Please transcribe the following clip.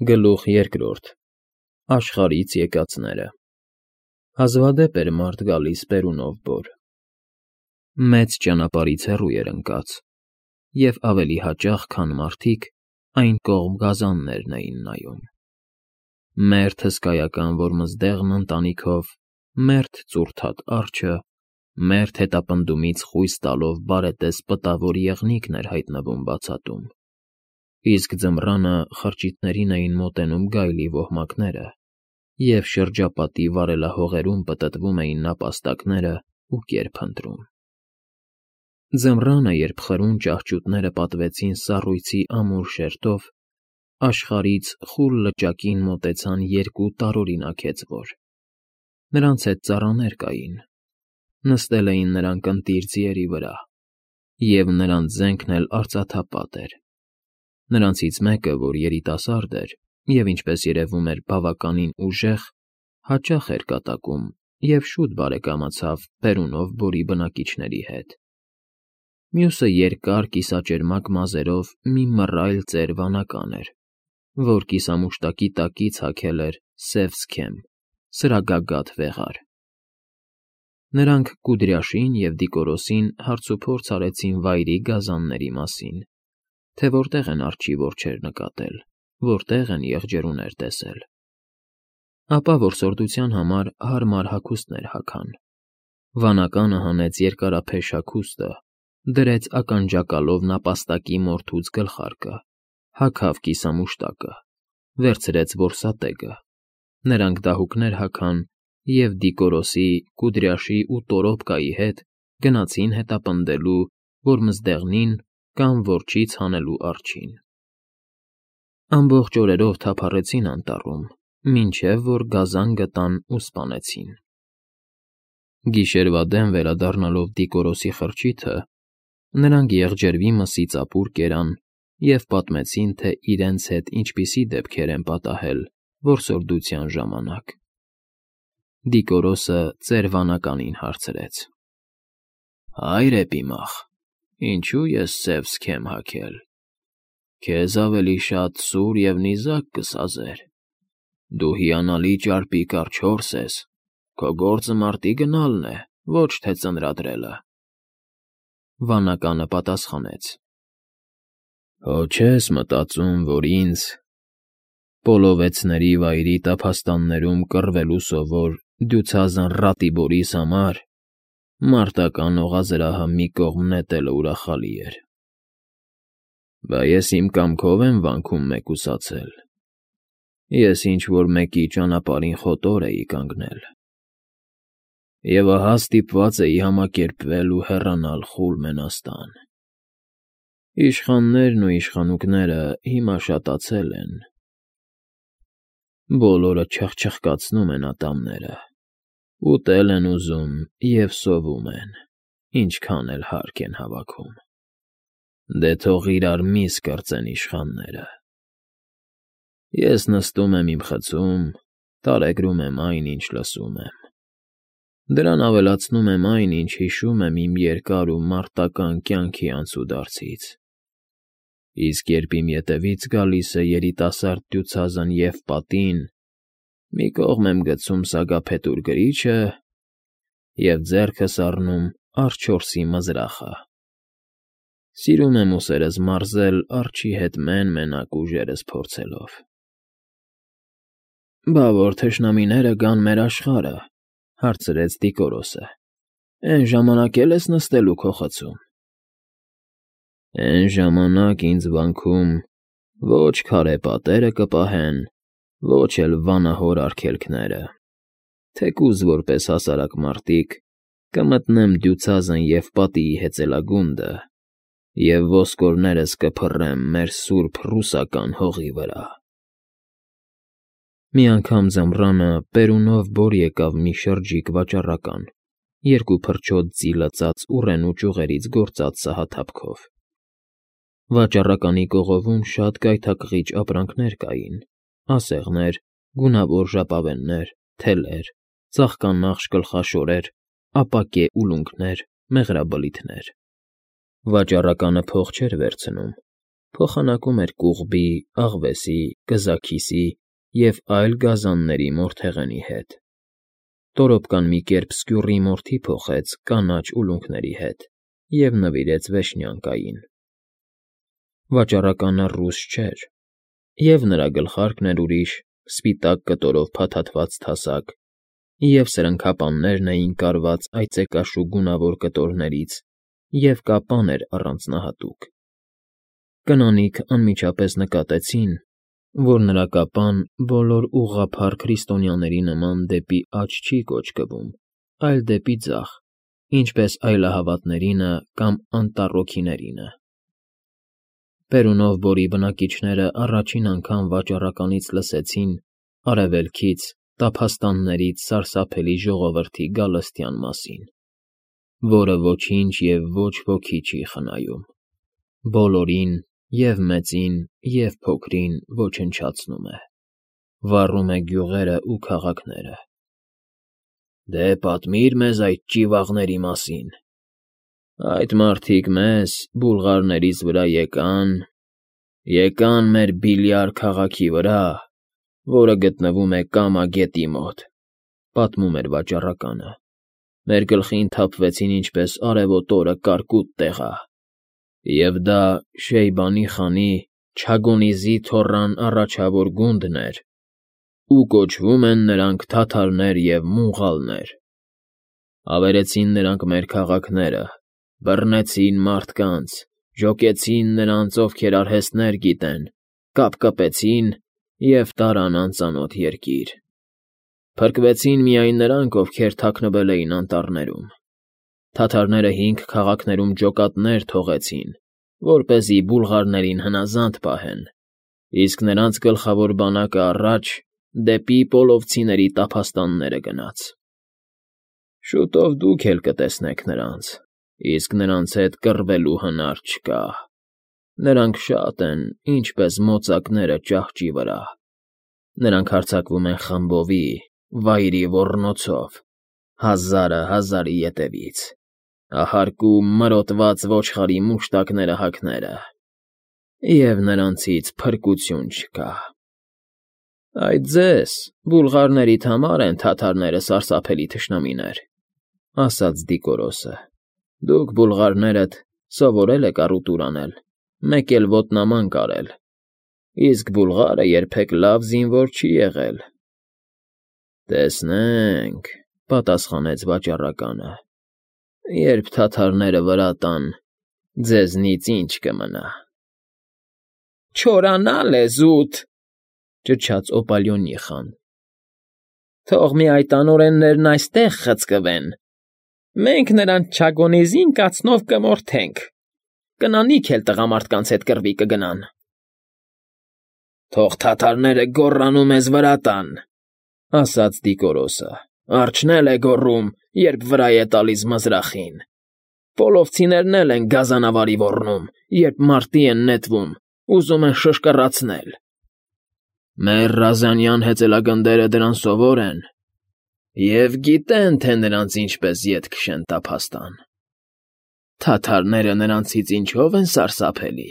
Գլուխ երկրորդ Աշխարհից եկածները Հազվադեպ էր մարդ գալիս բերունով բոր։ Մեծ ճանապարհից հեռու էր ընկած, և ավելի հաճախ, քան մարդիկ, այն կողմ գազաններն էին նայում։ Մերթ հսկայական որմզդեղն ընտանիքով, մերթ ծուռթատ արջը, մերթ հետապնդումից խույս տալով բարետես պտավոր եղնիկն էր հայտնվում բացատում, իսկ ձմռանը խրճիթներին էին մոտենում գայլի ոհմակները, և շրջապատի վարելահողերում պտտվում էին նապաստակները ու կեր փնտրում։ Ձմռանը, երբ խրուն ճահճուտները պատվեցին սառույցի ամուր շերտով, աշխարհից խուլ լճակին մոտեցան երկու տարօրինակ հեծվոր։ Նրանց հետ ծառաներ կային, նստել էին նրանք ընտիր ձիերի վրա, և նրանց զենքն էլ արծաթապատ էր։ Նրանցից մեկը, որ երիտասարդ էր և, ինչպես երևում էր, բավականին ուժեղ, հաճախ էր կատակում և շուտ բարեկամացավ բերունով բորի բնակիչների հետ։ Մյուսը երկար կիսաճերմակ մազերով մի մռայլ ծեր վանական էր, որ կիսամուշտակի տակից հագել էր սև սքեմ, սրագագաթ վեղար։ Նրանք Կուդրյաշին և Դիկորոսին հարցուփորձ արեցին վայրի գազանների մասին, թե որտեղ են արջի որջեր նկատել, որտեղ են եղջերուներ տեսել։ Ապա որսորդության համար հարմար հագուստներ հագան։ Վանականը հանեց երկարափեշ հագուստը, դրեց ականջակալով նապաստակի մորթուց գլխարկը, հագավ կիսամուշտակը, վերցրեց որսատեգը։ Նրանք դահուկներ հագան և Դիկորոսի, Կուդրյաշի ու Տորոպկայի հետ գնացին հետապնդելու որմզդեղնին կամ որջից հանելու արջին։ Ամբողջ օրերով թափառեցին անտառում, մինչև որ գազան գտան ու սպանեցին։ Գիշերվա դեմ վերադառնալով Դիկորոսի խրճիթը, նրանք եղջերվի մսից ապուր կերան և պատմեցին, թե իրենց հետ ինչպիսի դեպքեր են պատահել որսորդության ժամանակ։ Դիկորոսը ծեր վանականին հարցրեց. «Հայր էպիմախ, ինչու ես սև սքեմ հագել։ Քեզ ավելի շատ սուր և նիզակ կսազեր։ Դու հիանալի ճարպիկ արջորս ես, քո գործը մարտի գնալն է, ոչ թե ծնրադրելը»։ Վանականը պատասխանեց. «Հո չես մտածում, որ ինձ Պոլովեցների վայրի տափաստաններում կռվելու սովոր դյուցազն Ռատիբորիս համար մարտական օղազրահը մի կողմ նետելը ուրախալի էր։ Բա ես իմ կամքով եմ վանքում մեկուսացել։ Ես ինչ֊որ մեկի ճանապարհին խոտոր էի կանգնել, և ահա ստիպված էի համակերպվել ու հեռանալ խուլ մենաստան։ Իշխաններն ու իշխանուկները հիմա շատացել են։ Բոլորը չխչխկացնում են ատամները, ուտել են ուզում և սովում են, ինչքան էլ հարկ են հավաքում։ Դե թող իրար միս կրծեն իշխանները։ Ես նստում եմ իմ խցում, տարեգրում եմ այն, ինչ լսում եմ։ Դրան ավելացնում եմ այն, ինչ հիշում եմ իմ երկար ու մարտական կյանքի անցուդարձից։ Իսկ երբ իմ ետևից գալիս է երիտասարդ դյուցազն Եվպատին, մի կողմ եմ գցում սագափետուր գրիչը և ձեռքս առնում արջորսի մզրախը։ Սիրում եմ ուսերս մարզել արջի հետ մեն֊մենակ ուժերս փորձելով։ Բա որ թշնամիները գան մեր աշխարհը, հարցրեց Դիկորոսը, էն ժամանակ էլ ես նստելու քո խցում։ Էն ժամանակ ինձ վանքում ոչ քարե պատերը կպահեն, ոչ էլ վանահոր արգելքները, թեկուզ որպես հասարակ մարտիկ կմտնեմ դյուցազն Եվպատիի հեծելագունդը և ոսկորներս կփռեմ մեր սուրբ ռուսական հողի վրա։ Մի անգամ ձմռանը բերունով բոր եկավ մի շրջիկ վաճառական, երկու փրչոտ ձի լծած ուռենու ճյուղերից գործած սահաթափքով։ Վաճառականի կողովում շատ գայթակղիչ ապրանքներ կային՝ ասեղներ, գունավոր ժապավեններ, թելեր, ծաղկանախշ գլխաշորեր, ապակե ուլունքներ, մեղրաբլիթներ։ Վաճառականը փող չէր վերցնում, փոխանակում էր կուղբի, աղվեսի, կզաքիսի և այլ գազանների մորթեղենի հետ։ Տորոպկան մի կերպ սկյուռի մորթի փոխեց կանաչ ուլունքների հետ և նվիրեց Վեշնյակային։ Վաճառականը ռուս չէր, և նրա գլխարկն էր ուրիշ, սպիտակ կտորով փաթաթված թասակ, և սրընքապաններն էին կարված այծեկաշու գունավոր կտորներից, և կապան էր առանձնահատուկ։ Կնանիք անմիջապես նկատեցին, որ նրա կապան բոլոր ուղղափառ քրիստոնյաների նման դեպի աջ չի կոճկվում, այլ դեպի ձախ, ինչպես այլահավատներինը կամ անտառոքիներինը։ Պերունով Բորի բնակիչները առաջին անգամ վաճառականից լսեցին արևելքից, տափաստաններից սարսափելի ժողովրդի գալստյան մասին, որը ոչինչ և ոչ ոքի չի խնայում, բոլորին, և՛ մեծին, և՛ փոքրին ոչնչացնում է, վառում է գյուղերն ու քաղաքները։ «Դե պատմիր մեզ այդ ճիվաղների մասին։ Այդ մարդիկ մեզ, բուլղարներից վրա եկան մեր Բիլյար քաղաքի վրա, որը գտնվում է Կամա գետի մոտ», պատմում էր վաճառականը։ «Մեր գլխին թափվեցին ինչպես արևոտ օրը կարկուտ տեղա, և դա Շեյբանի խանի Չագոնիզի թոռան առաջավոր գունդն էր, ու կոչվում են նրանք թաթարներ և մունղալներ։ Ավերեցին նրանք մեր քաղաքները, բռնեցին մարդկանց, ջոկեցին նրանց, ովքեր արհեստներ գիտեն, կապկպեցին և տարան անծանոթ երկիր։ Փրկվեցին միայն նրանք, ովքեր թաքնվել էին անտառներում։ Թաթարները 5 քաղաքներում ջոկատներ թողեցին, որպեսզի բուլղարներին հնազանդ պահեն, իսկ նրանց գլխավոր բանակը առաջ դեպի պոլովցիների տափաստանները գնաց։ Շուտով դուք էլ կտեսնեք նրանց, իսկ նրանց հետ կռվելու հնար չկա։ Նրանք շատ են, ինչպես մոծակները ճահճի վրա։ Նրանք հարձակվում են խմբովի, վայրի ոռնոցով, հազարը հազարի ետևից, ահարկում մրոտված ոչխարի մուշտակները և նրանցից փրկություն չկա։ Այդ ձեզ, բուլղարներիդ համար են թաթարները սարսափելի թշնամիներ, ասաց Դիկորոսը։ Դուք բուլղարներդ սովորել եք առուտուր անել, մեկ էլ ոտնաման կարել, իսկ բուլղարը երբեք լավ զինվոր չի եղել։ Տեսնենք, պատասխանեց վաճառականը, երբ թաթարները վրա տան, ձեզնից ինչ կմնա։ Չորանալ է զուտ, ճչաց Օպալյոնիխան։ Թող մի այդ անօրեններն այստեղ խցկվեն, մենք նրանց Չագոնիզին կացնով կմորթենք, կնանիք էլ տղամարդկանց հետ կռվի կգնան։ Թող թաթարները գոռան ու մեզ վրա տան, ասաց Դիկորոսը, արջն էլ է գոռում, երբ վրա է տալիս մզրախին։ Պոլովցիներն էլ են գազանավարի ոռնում, երբ մարտի են նետվում, ուզում են շշկռացնել։ Մեր Ռազանյան հեծելագնդերը դրան սովոր են և գիտեն, թե նրանց ինչպես ետ քշեն տափաստան։ Թաթարները նրանցից ինչո՞վ են սարսափելի։